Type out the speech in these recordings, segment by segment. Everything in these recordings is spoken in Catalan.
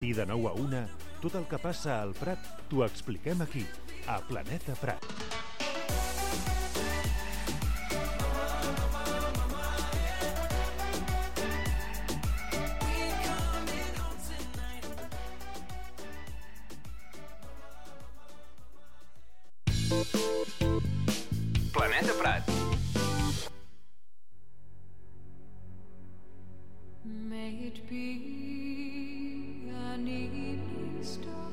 matí de 9 a 1, tot el que passa al Prat t'ho expliquem aquí, a Planeta Prat. Planeta Prat. May it be an evening star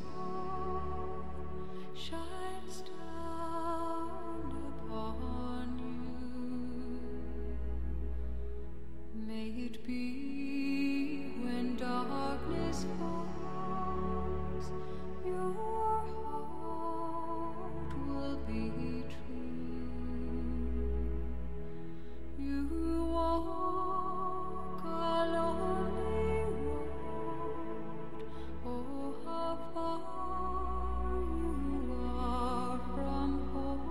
shines down upon you. May it be when darkness falls, your heart will be true. You walk a lonely road, oh how far you are from home.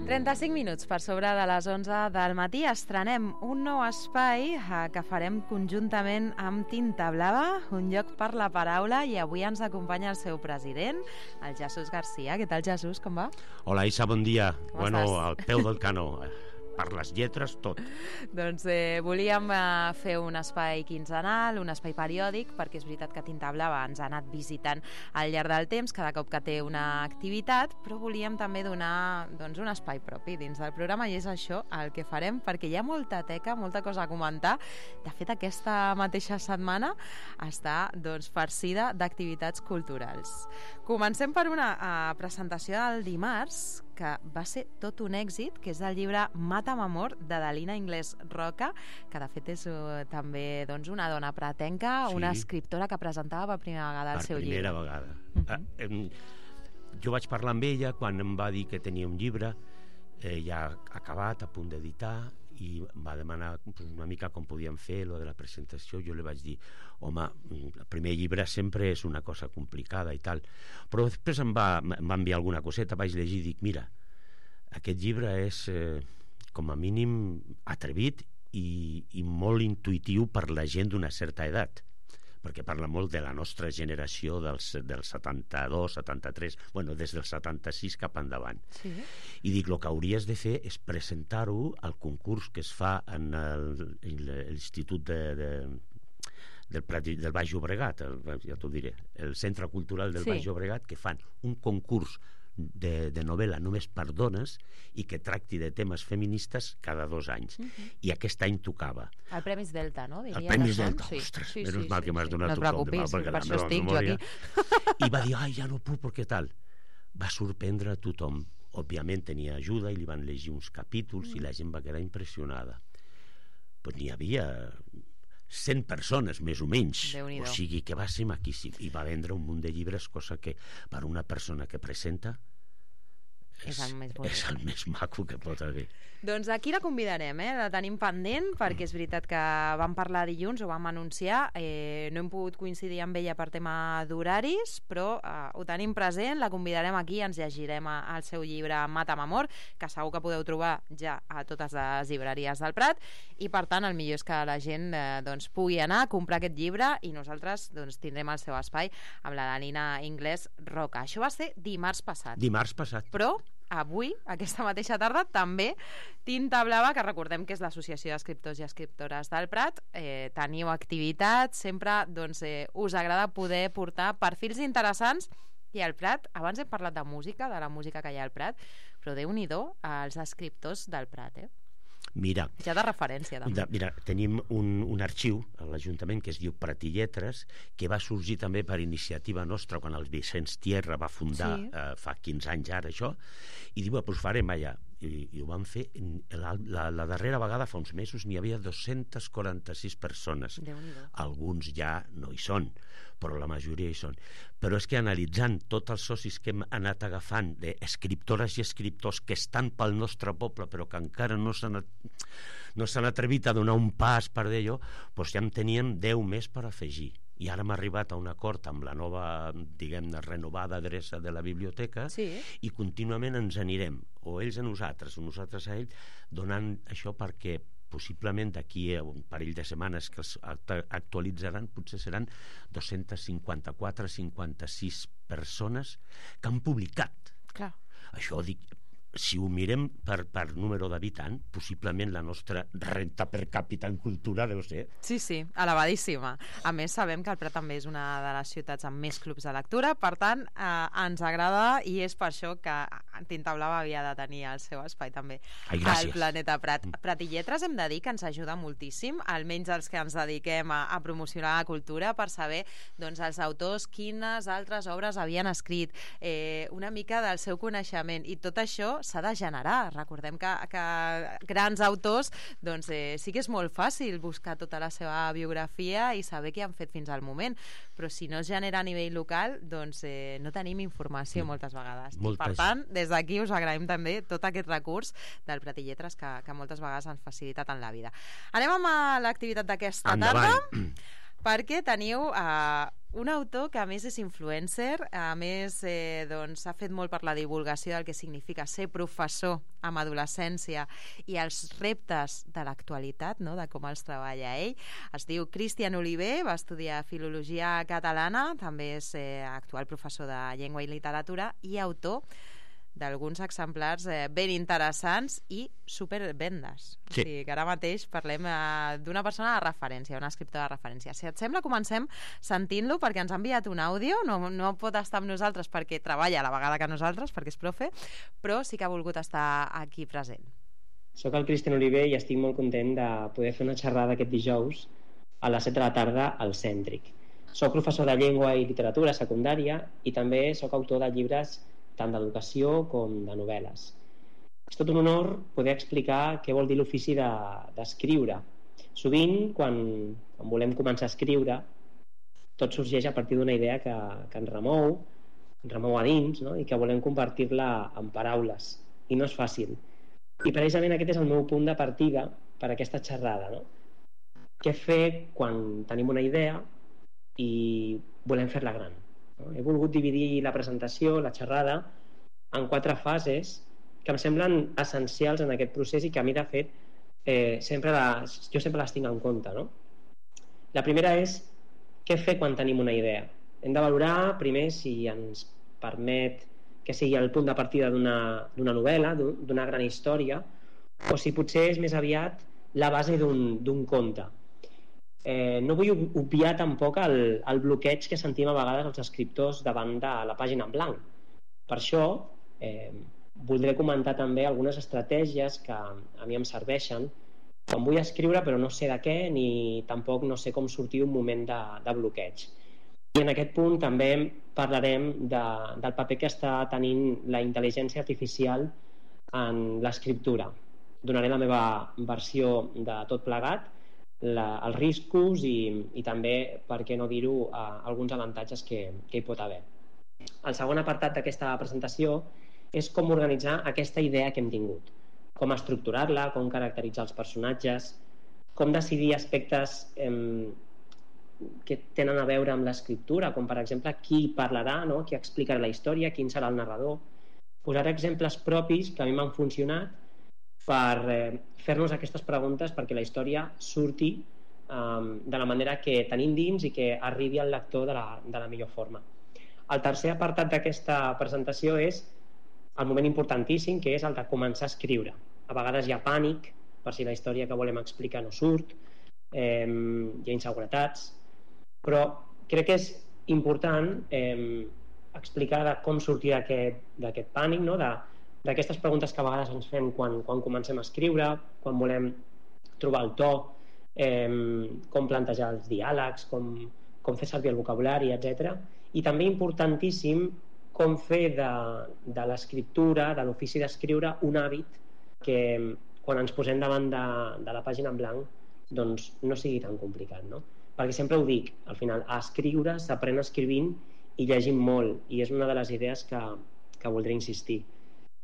35 minuts per sobre de les 11 del matí estrenem un nou espai que farem conjuntament amb Tinta Blava, un lloc per la paraula, i avui ens acompanya el seu president, el Jesús Garcia. Què tal, Jesús? Com va? Hola, Isa, bon dia. Com estàs? Al peu del canó. Per les lletres, tot. Doncs volíem fer un espai quinzenal, un espai periòdic, perquè és veritat que Tinta Blava ens ha anat visitant al llarg del temps, cada cop que té una activitat, però volíem també donar un espai propi dins del programa, i és això el que farem, perquè hi ha molta teca, molta cosa a comentar. De fet, aquesta mateixa setmana està farcida d'activitats culturals. Comencem per una presentació del dimarts, que va ser tot un èxit, que és el llibre Mata'm amor, de Dalina Inglés Roca, que de fet és també una dona pratenca, sí, una escriptora que presentava per primera vegada el seu llibre. Per primera vegada. Jo vaig parlar amb ella quan em va dir que tenia un llibre ja acabat, a punt d'editar, i va demanar una mica com podíem fer lo de la presentació. Jo li vaig dir, home, el primer llibre sempre és una cosa complicada i tal, però després em va enviar alguna coseta, vaig llegir i dic, mira, aquest llibre és com a mínim atrevit i molt intuïtiu per la gent d'una certa edat, perquè parla molt de la nostra generació del 72, 73, bueno, des del 76 cap endavant. Sí. I dic, el que hauries de fer és presentar-ho al concurs que es fa en l'Institut del Baix Llobregat, ja t'ho diré, el Centre Cultural del Baix Llobregat, que fan un concurs de novel·la només per dones i que tracti de temes feministes cada 2 anys. I aquest any tocava. El Premis Delta, no? El Premis Delta, ostres, menys mal que m'has donat un cop de mal, per això estic jo aquí. I va dir, ja no puc, perquè tal. Va sorprendre a tothom. Òbviament tenia ajuda i li van llegir uns capítols i la gent va quedar impressionada. Però n'hi havia 100 persones, més o menys. O sigui que va ser maquíssim. I va vendre un munt de llibres, cosa que per una persona que presenta és el més maco que pot haver. Doncs aquí la convidarem, la tenim pendent, perquè és veritat que vam parlar dilluns, ho vam anunciar, no hem pogut coincidir amb ella per tema d'horaris, però ho tenim present, la convidarem aquí, ens llegirem el seu llibre Mata'm amor, que segur que podeu trobar ja a totes les llibreries del Prat, i per tant el millor és que la gent pugui anar a comprar aquest llibre, i nosaltres tindrem el seu espai amb la Dalina Inglés Roca. Això va ser dimarts passat. Dimarts passat. Però avui, aquesta mateixa tarda, també Tinta Blava, que recordem que és l'Associació d'Escriptors i Escriptores del Prat, teniu activitat, sempre us agrada poder portar perfils interessants. I al Prat, abans hem parlat de música, de la música que hi ha al Prat, però Déu-n'hi-do als escriptors del Prat, Mira, ja de referència també. Mira, tenim un arxiu a l'Ajuntament que es diu Prat i Lletres, que va sorgir també per iniciativa nostra quan el Vicenç Tierra va fundar fa 15 anys ara això, i diu, doncs farem allà, i ho van fer la darrera vegada fa uns mesos n'hi havia 246 persones. Alguns ja no hi són, però la majoria hi són. Però és que analitzant tots els socis que hem anat agafant d'escriptores i escriptors que estan pel nostre poble però que encara no s'han atrevit a donar un pas per d'allò, doncs ja en teníem 10 més per afegir. I ara hem arribat a un acord amb la nova, diguem-ne, renovada adreça de la biblioteca, i contínuament ens anirem, o ells a nosaltres, o nosaltres a ells, donant això perquè possiblement d'aquí a un parell de setmanes que els actualitzaran, potser seran 254-56 persones que han publicat. Clar. Això dic, si ho mirem per número d'habitant, possiblement la nostra renta per càpita en cultura deu ser... Sí, elevadíssima. A més, sabem que el Prat també és una de les ciutats amb més clubs de lectura, per tant, ens agrada i és per això que Tinta Blava havia de tenir el seu espai també al Planeta Prat. Prat i Lletres hem de dir que ens ajuda moltíssim, almenys els que ens dediquem a promocionar la cultura, per saber doncs, els autors quines altres obres havien escrit, una mica del seu coneixement, i tot això s'ha de generar. Recordem que grans autors, doncs sí que és molt fàcil buscar tota la seva biografia i saber què han fet fins al moment, però si no es genera a nivell local, doncs no tenim informació moltes vegades. Per tant, des d'aquí us agraïm també tot aquest recurs del Prat i Lletres que moltes vegades ens facilita tant la vida. Anem amb l'activitat d'aquesta tarda, perquè teniu un autor que a més és influencer, a més doncs, ha fet molt per la divulgació del que significa ser professor amb adolescència i els reptes de l'actualitat, no? De com els treballa ell. Es diu Cristian Oliver, va estudiar Filologia Catalana, també és actual professor de Llengua i Literatura i autor d'alguns exemplars ben interessants i supervendes. Sí. O sigui, que ara mateix parlem d'una persona de referència, una escriptora de referència. Si et sembla, comencem sentint-lo, perquè ens ha enviat un àudio, no pot estar amb nosaltres perquè treballa a la vegada que nosaltres, perquè és profe, però sí que ha volgut estar aquí present. Soc el Cristian Oliver i estic molt content de poder fer una xerrada aquest dijous a les 7 de la tarda al Cèntric. Soc professor de Llengua i Literatura secundària i també soc autor de llibres tant d'educació com de novel·les. És tot un honor poder explicar què vol dir l'ofici d'escriure. Sovint, quan volem començar a escriure, tot sorgeix a partir d'una idea que ens remou a dins, no? I que volem convertir-la en paraules. I no és fàcil. I precisament aquest és el meu punt de partida per a aquesta xerrada. No? Què fer quan tenim una idea i volem fer-la gran? He volgut dividir la presentació, la xerrada, en 4 fases que em semblen essencials en aquest procés i que a mi, de fet, jo sempre les tinc en compte. No? La primera és què fer quan tenim una idea. Hem de valorar primer si ens permet que sigui el punt de partida d'una novel·la, d'una gran història, o si potser és més aviat la base d'un conte. No vull obviar tampoc el bloqueig que sentim a vegades els escriptors davant de la pàgina en blanc. Per això voldré comentar també algunes estratègies que a mi em serveixen quan vull escriure però no sé de què ni tampoc no sé com sortir un moment de bloqueig. I en aquest punt també parlarem del paper que està tenint la intel·ligència artificial en l'escriptura. Donaré la meva versió de tot plegat, els riscos i també, per què no dir-ho, alguns avantatges que hi pot haver. El segon apartat d'aquesta presentació és com organitzar aquesta idea que hem tingut, com estructurar-la, com caracteritzar els personatges, com decidir aspectes que tenen a veure amb l'escriptura, com per exemple qui parlarà, no? Qui explicarà la història, quin serà el narrador. Posaré exemples propis que a mi m'han funcionat per fer-nos aquestes preguntes perquè la història surti de la manera que tenim dins i que arribi al lector de la millor forma. El tercer apartat d'aquesta presentació és el moment importantíssim, que és el de començar a escriure. A vegades hi ha pànic per si la història que volem explicar no surt, hi ha inseguretats, però crec que és important explicar com sortir d'aquest pànic, no? D'aquestes preguntes que a vegades ens fem quan comencem a escriure, quan volem trobar el to, com plantejar els diàlegs, com fer servir el vocabulari, etc. I també importantíssim com fer de l'escriptura, de l'ofici d'escriure, un hàbit que quan ens posem davant de la pàgina en blanc doncs no sigui tan complicat, no? Perquè sempre ho dic, al final, a escriure s'aprèn escrivint i llegint molt, i és una de les idees que voldré insistir.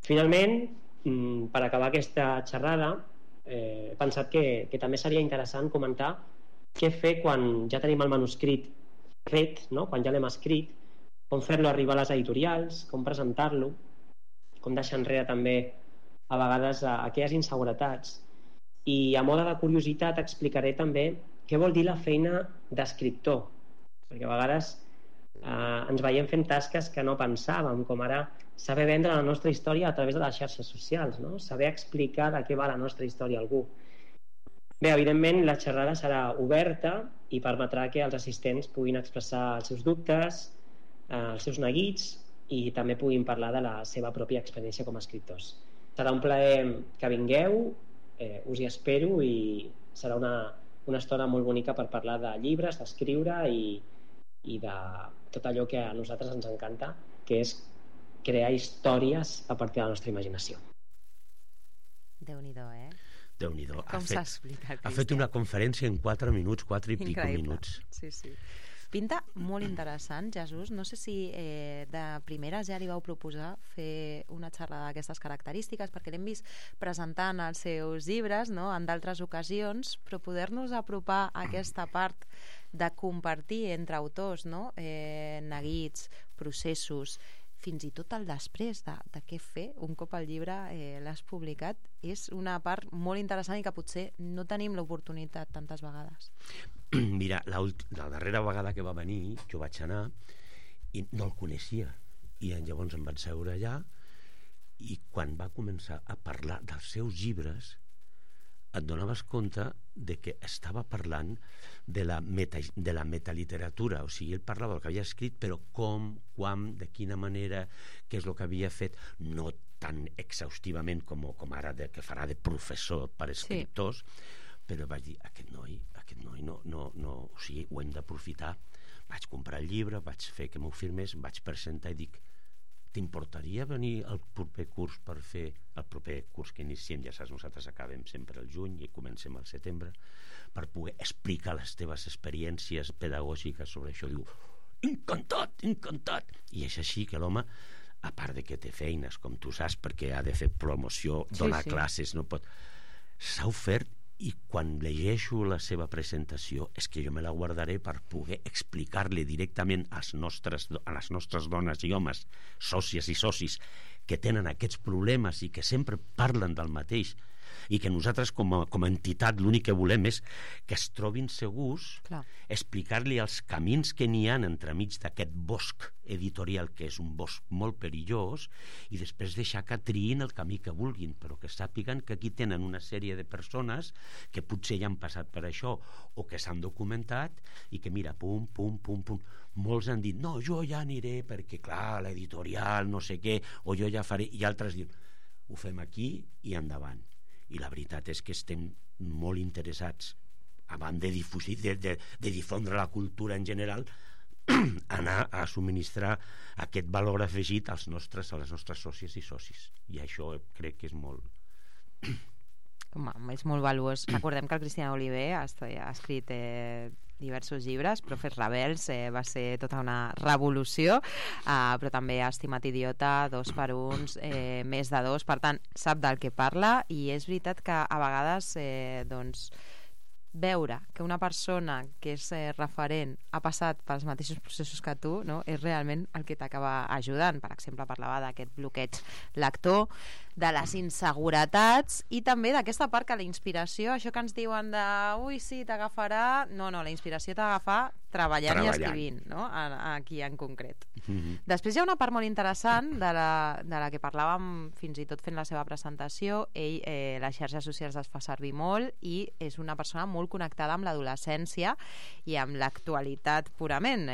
Finalment, per acabar aquesta xerrada, he pensat que també seria interessant comentar què fer quan ja tenim el manuscrit fet, no? Quan ja l'hem escrit, com fer-lo arribar a les editorials, com presentar-lo, com deixar enrere també a vegades aquelles inseguretats I a moda de curiositat explicaré també què vol dir la feina d'escriptor, perquè a vegades ens veiem fent tasques que no pensàvem, com ara saber vendre la nostra història a través de les xarxes socials, no? Saber explicar de què va la nostra història a algú. Bé, evidentment la xerrada serà oberta i permetrà que els assistents puguin expressar els seus dubtes, els seus neguits, i també puguin parlar de la seva pròpia experiència com a escriptors. Serà un plaer que vingueu, us hi espero, i serà una estona molt bonica per parlar de llibres, d'escriure i de tot allò que a nosaltres ens encanta, que és crear històries a partir de la nostra imaginació. Déu-n'hi-do, Déu-n'hi-do. Com s'ha explicat, Ha fet una conferència en 4 minuts, 4 i pico minuts. Sí, sí. Pinta molt interessant, Jesús. No sé si de primeres ja li vau proposar fer una xerrada d'aquestes característiques, perquè l'hem vist presentant els seus llibres, no?, en d'altres ocasions, però poder-nos apropar a aquesta part de compartir entre autors, no?, neguits, processos, fins i tot el després de què fer un cop el llibre l'has publicat, és una part molt interessant i que potser no tenim l'oportunitat tantes vegades. Mira, la darrera vegada que va venir jo vaig anar i no el coneixia, i llavors em vaig seure allà, i quan va començar a parlar dels seus llibres et donaves compte de que estava parlant de la metaliteratura, o sigui, ell parlava del que havia escrit, però com, quan, de quina manera, què és el que havia fet, no tan exhaustivament com ara que farà de professor per escriptors, però vaig dir, aquest noi no, o sigui, ho hem d'aprofitar. Vaig comprar el llibre, vaig fer que m'ho firmés, em vaig presentar i dic, t'importaria venir al proper curs per fer el proper curs que iniciem? Ja saps, nosaltres acabem sempre al juny i comencem al setembre, per poder explicar les teves experiències pedagògiques sobre això. Diu, encantat! I és així que l'home, a part de que té feines, com tu saps, perquè ha de fer promoció, donar classes, no pot... S'ha ofert, i quan llegeixo la seva presentació és que jo me la guardaré per poder explicar-li directament a les nostres dones i homes, sòcies i socis, que tenen aquests problemes i que sempre parlen del mateix, i que nosaltres com a entitat l'únic que volem és que es trobin segurs, explicar-li els camins que n'hi ha entremig d'aquest bosc editorial, que és un bosc molt perillós, i després deixar que triïn el camí que vulguin, però que sàpiguen que aquí tenen una sèrie de persones que potser ja han passat per això o que s'han documentat i que mira, pum, molts han dit, no, jo ja aniré perquè clar, l'editorial, no sé què, o jo ja faré, i altres diuen, ho fem aquí i endavant. I la veritat és que estem molt interessats, abans de difondre la cultura en general, anar a subministrar aquest valor afegit a les nostres sòcies i socis. I això crec que és molt... És molt valuós. Recordem que el Cristian Oliver ha escrit diversos llibres. Profes rebels va ser tota una revolució, però també Estimat idiota, 2 per 1, més de 2, per tant sap del que parla, i és veritat que a vegades veure que una persona que és referent ha passat pels mateixos processos que tu, no? És realment el que t'acaba ajudant. Per exemple, parlava d'aquest bloqueig lector, de les inseguretats i també d'aquesta part que la inspiració, això que ens diuen de ui, sí, t'agafarà... No, la inspiració t'agafa treballant i escrivint, no? Aquí en concret. Després hi ha una part molt interessant de la que parlàvem fins i tot fent la seva presentació. Ell les xarxes socials les fa servir molt i és una persona molt connectada amb l'adolescència i amb l'actualitat purament.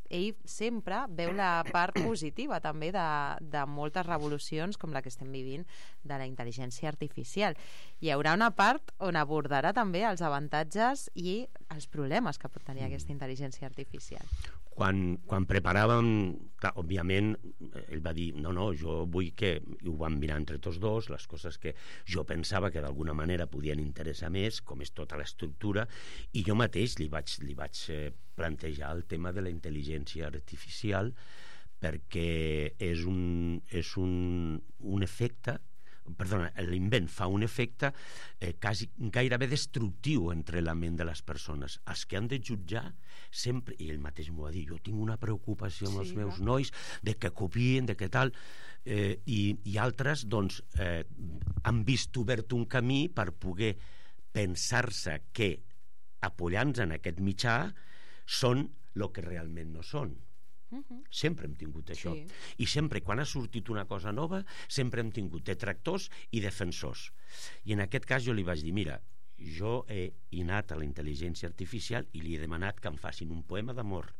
Ell sempre veu la part positiva també de moltes revolucions com la que estem vivint de la intel·ligència artificial. Hi haurà una part on abordarà també els avantatges i els problemes que pot tenir aquesta intel·ligència artificial. Quan preparàvem, clar, òbviament, ell va dir, no, jo vull que, i ho vam mirar entre tots dos, les coses que jo pensava que d'alguna manera podien interessar més, com és tota l'estructura, i jo mateix li vaig plantejar el tema de la intel·ligència artificial perquè és un efecte, l'invent fa un efecte gairebé destructiu entre la ment de les persones. Els que han de jutjar sempre, i ell mateix m'ho va dir, jo tinc una preocupació amb els meus nois de que copien, de que tal, i altres doncs han vist obert un camí per poder pensar-se que apoyant-se en aquest mitjà són el que realment no són. Sempre hem tingut això. I sempre, quan ha sortit una cosa nova, sempre hem tingut detractors i defensors. I en aquest cas jo li vaig dir, mira, jo he anat a la intel·ligència artificial i li he demanat que em facin un poema d'amor,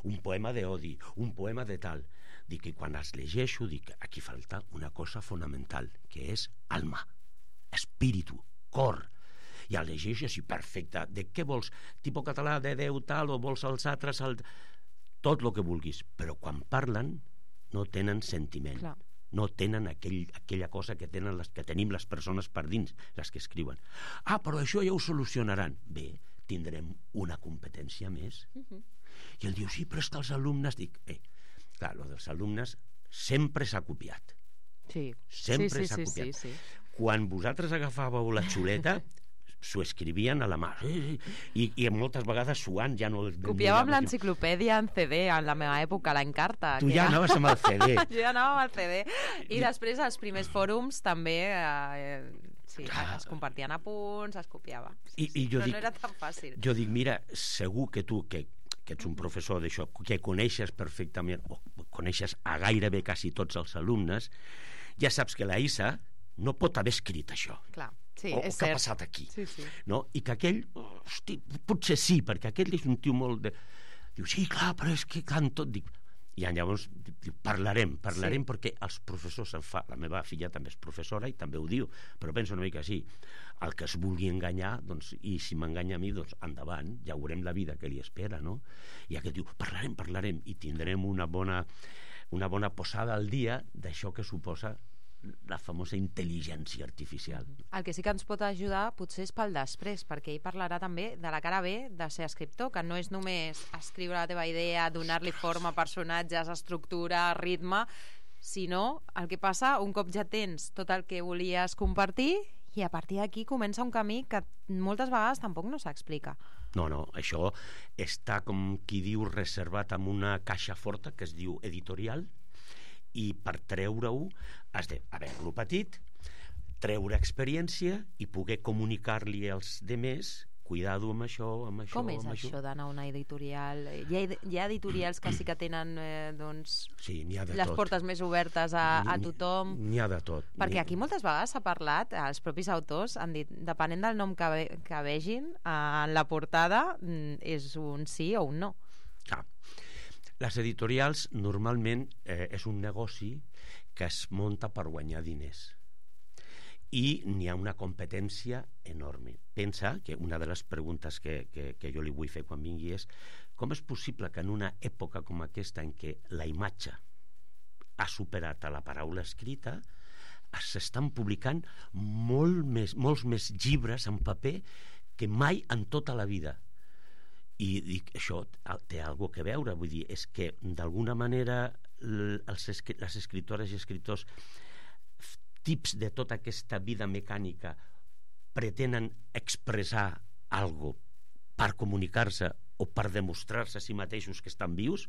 un poema d'odi, un poema de tal. Dic que quan els llegeixo, dic, aquí falta una cosa fonamental, que és alma, espíritu, cor. I el llegeixo així, perfecte. De què vols? Tipus català de Déu tal, o vols els altres... Tot el que vulguis, però quan parlen no tenen sentiment. Clar. No tenen aquella cosa que tenen que tenim les persones per dins, les que escriuen. Però això ja ho solucionaran. Bé, tindrem una competència més. I ell diu, sí, però és que els alumnes... Dic, clar, el dels alumnes sempre s'ha copiat. Sempre s'ha copiat. Sí. Quan vosaltres agafàveu la xuleta... s'ho escrivien a la mà i moltes vegades suant ja no... Copiàvem l'enciclopèdia en CD en la meva època, l'Encarta. Tu ja anaves amb el CD. Jo ja anava amb el CD. I després als primers fòrums també es compartien apunts, es copiava. Però no era tan fàcil. Jo dic, mira, segur que tu, que ets un professor d'això, que coneixes perfectament, o coneixes a gairebé quasi tots els alumnes, ja saps que la Isa no pot haver escrit això. Clar. Sí, o què ha passat aquí, no? I que aquell, hosti, potser sí, perquè aquell és un tio molt de... Diu, sí, clar, però és que clar, tot... Dic, i llavors parlarem, perquè els professors la meva filla també és professora i també ho diu, però penso una mica així, el que es vulgui enganyar, doncs, i si m'enganya a mi, doncs endavant, ja veurem la vida que li espera, no? I aquest diu, parlarem, i tindrem una bona posada al dia d'això que suposa la famosa intel·ligència artificial. El que sí que ens pot ajudar potser és pel després, perquè ell parlarà també de la cara B de ser escriptor, que no és només escriure la teva idea, donar-li forma, personatges, estructura, ritme, sinó el que passa un cop ja tens tot el que volies compartir i a partir d'aquí comença un camí que moltes vegades tampoc no s'explica. No, això està, com qui diu, reservat amb una caixa forta que es diu editorial, i per treure-ho has d'haver-lo petit, treure experiència i poder comunicar-li als demés, cuidado amb això, Com és això d'anar a una editorial? Hi ha editorials que sí que tenen sí, n'hi ha de les tot. Portes més obertes a tothom? N'hi ha de tot. Perquè aquí moltes vegades s'ha parlat, els propis autors han dit, depenent del nom que vegin, en la portada és un sí o un no. Les editorials normalment és un negoci que es munta per guanyar diners i n'hi ha una competència enorme. Pensa que una de les preguntes que jo li vull fer quan vingui és com és possible que en una època com aquesta en què la imatge ha superat a la paraula escrita s'estan publicant molts més llibres en paper que mai en tota la vida. I dic, això té alguna cosa a veure, vull dir, és que d'alguna manera les escritores i escriptors tips de tota aquesta vida mecànica pretenen expressar alguna cosa per comunicar-se o per demostrar-se a si mateixos que estan vius.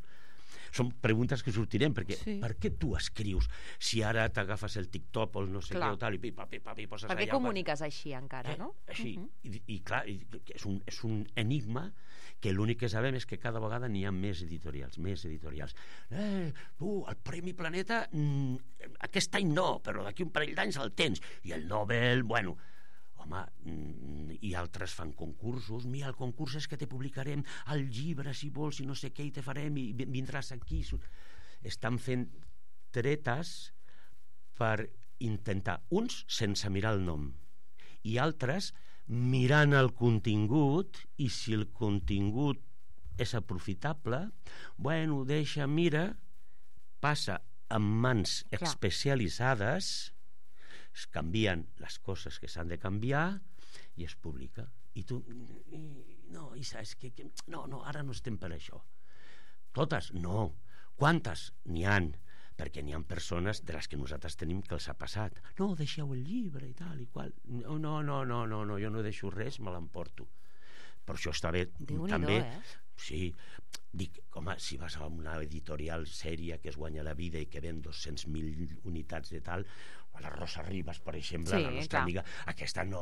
Són preguntes que sortirem, perquè per què tu escrius si ara t'agafes el TikTok o el no sé què o tal i poses allà... Per què comuniques així encara, no? Així, i clar, és un enigma que l'únic que sabem és que cada vegada n'hi ha més editorials. El Premi Planeta aquest any no, però d'aquí un parell d'anys el tens, i el Nobel, bueno... Home, i altres fan concursos. Mira, el concurs és que te publicarem el llibre, si vols, i no sé què, i te farem, i vindràs aquí. Estan fent tretes per intentar, uns sense mirar el nom, i altres mirant el contingut, i si el contingut és aprofitable, bueno, mira, passa en mans especialitzades, es canvien les coses que s'han de canviar i es publica. I tu, no, Isa, és que no, ara no estem per això. Totes? No. Quantes? N'hi han. perquè n'hi ha persones de les que nosaltres tenim que els ha passat. No, deixeu el llibre i tal i qual. No, jo no deixo res, me l'emporto. Per això està bé també... Sí, dic, home, si vas a una editorial sèria que es guanya la vida i que ven 200.000 unitats de tal, o la Rosa Ribas, per exemple, la nostra amiga, aquesta no,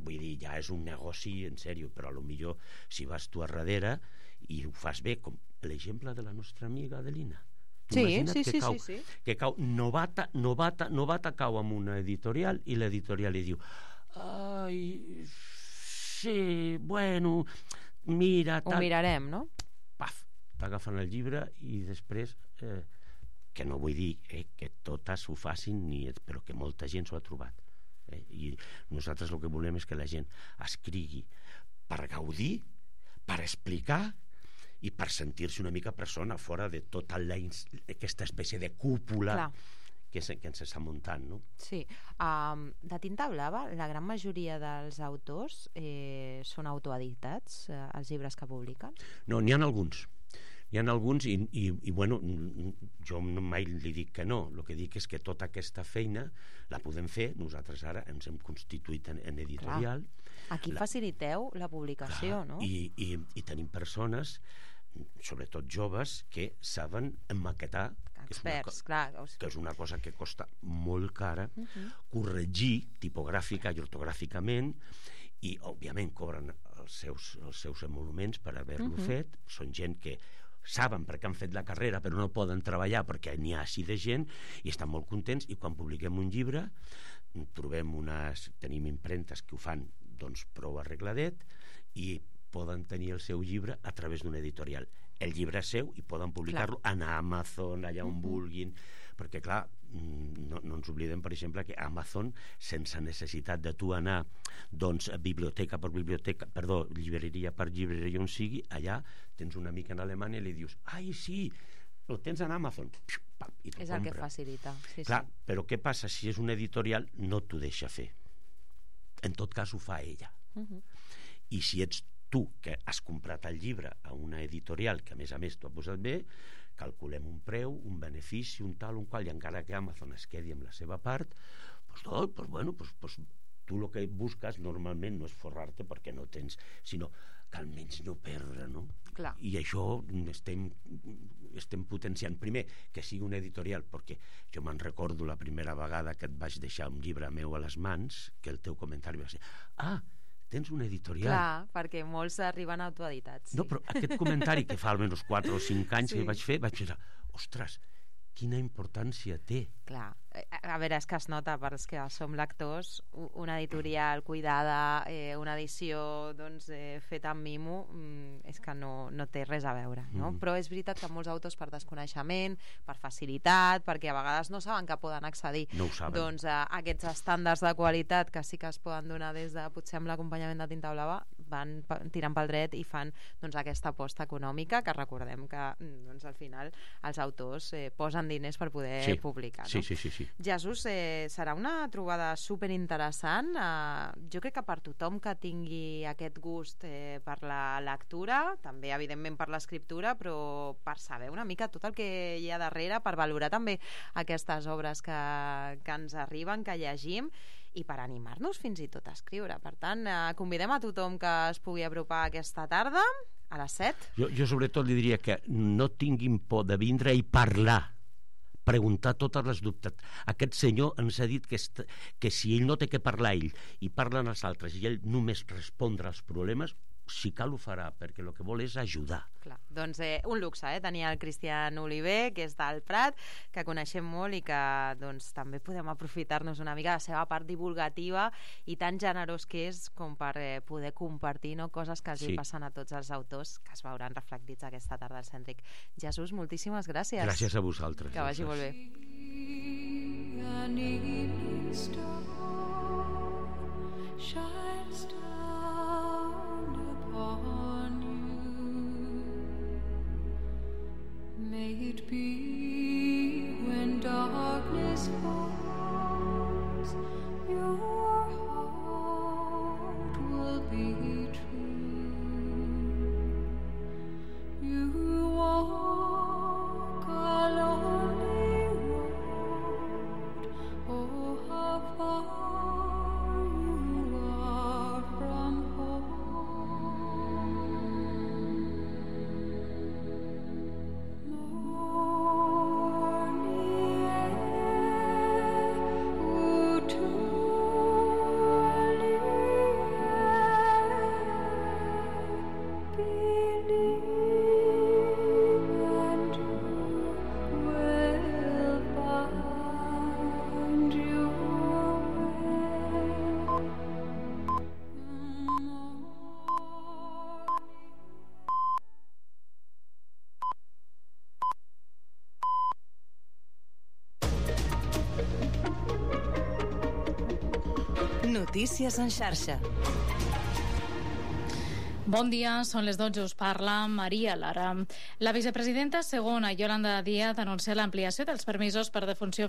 vull dir, ja és un negoci en sèrio, però a lo millor si vas tu a darrere i ho fas bé, com l'exemple de la nostra amiga Adelina. Sí. Que cau novata cau amb una editorial i l'editorial li diu ai, sí, bueno, mira... Ho mirarem, no? Paf, t'agafen el llibre i després, que no vull dir que totes ho facin, però que molta gent s'ho ha trobat. I nosaltres el que volem és que la gent escrigui per gaudir, per explicar i per sentir-se una mica persona fora de tota aquesta espècie de cúpula que ens està muntant, no? Sí. De tinta blava, la gran majoria dels autors són autoeditats, els llibres que publiquen? No, n'hi ha alguns. N'hi ha alguns i bueno, jo mai li dic que no. El que dic és que tota aquesta feina la podem fer. Nosaltres ara ens hem constituït en editorial. Aquí faciliteu la publicació, no? I tenim persones, sobretot joves, que saben emmaquetar, experts, que és una cosa que costa molt cara, corregir tipogràfica i ortogràficament, i òbviament cobren els seus emoluments per haver-lo fet. Són gent que saben perquè han fet la carrera però no poden treballar perquè n'hi ha així de gent i estan molt contents, i quan publiquem un llibre tenim impremtes que ho fan doncs prou arregladet i poden tenir el seu llibre a través d'una editorial. El llibre és seu i poden publicar-lo en Amazon, allà on vulguin, perquè clar, no ens oblidem, per exemple, que Amazon, sense necessitat de tu anar doncs biblioteca per biblioteca, llibreria per llibreria on sigui, allà tens un amic en Alemanya i li dius, ai sí, el tens en Amazon, i t'ho compra. És el que facilita. Clar, però què passa? Si és una editorial no t'ho deixa fer. En tot cas ho fa ella. I si ets tu que has comprat el llibre a una editorial que a més t'ho ha posat bé, calculem un preu, un benefici, un tal, un qual, i encara que Amazon es quedi amb la seva part, doncs tu el que busques normalment no és forrar-te perquè no tens, sinó que almenys no perdre, no? Clar. I això estem potenciant. Primer, que sigui una editorial, perquè jo me'n recordo la primera vegada que et vaig deixar un llibre meu a les mans, que el teu comentari va ser tens una editorial. Clar, perquè molts arriben autoeditats. No, però aquest comentari que fa almenys 4 o 5 anys que vaig fer, ostres, quina importància té. Clar, a veure, és que es nota per als que som lectors, una editorial cuidada, una edició doncs, feta amb mimo, és que no té res a veure, no? Però és veritat que molts autors per desconeixement, per facilitat, perquè a vegades no saben que poden accedir doncs, a aquests estàndards de qualitat que sí que es poden donar des de, potser amb l'acompanyament de Tinta Blava, van tirant pel dret i fan doncs, aquesta aposta econòmica, que recordem que doncs, al final els autors posen diners per poder publicar. No? Sí. Jesús, serà una trobada superinteressant. Jo crec que per tothom que tingui aquest gust per la lectura, també evidentment per l'escriptura, però per saber una mica tot el que hi ha darrere, per valorar també aquestes obres que ens arriben, que llegim, i per animar-nos fins i tot a escriure. Per tant, convidem a tothom que es pugui apropar aquesta tarda a les 7. Jo sobretot li diria que no tinguin por de vindre i parlar, preguntar totes les dubtes. Aquest senyor ens ha dit que si ell no té que parlar ell i parlen els altres i ell només respondre als problemes, si cal ho farà, perquè el que vol és ajudar. Clar, doncs un luxe, tenir el Cristian Oliver, que és del Prat, que coneixem molt i que doncs, també podem aprofitar-nos una mica de la seva part divulgativa i tan generós que és com per poder compartir coses que els passen a tots els autors que es veuran reflectits aquesta tarda al Cèntric. Jesús, moltíssimes gràcies. Gràcies a vosaltres. Que vagi molt bé. Shines down upon you. May it be when darkness falls, your heart will be true. You walk a lonely Notícies en xarxa. Bon dia, són les 12, us parla Maria Lara. La vicepresidenta segona, Yolanda Díaz, anuncia l'ampliació dels permisos per defunció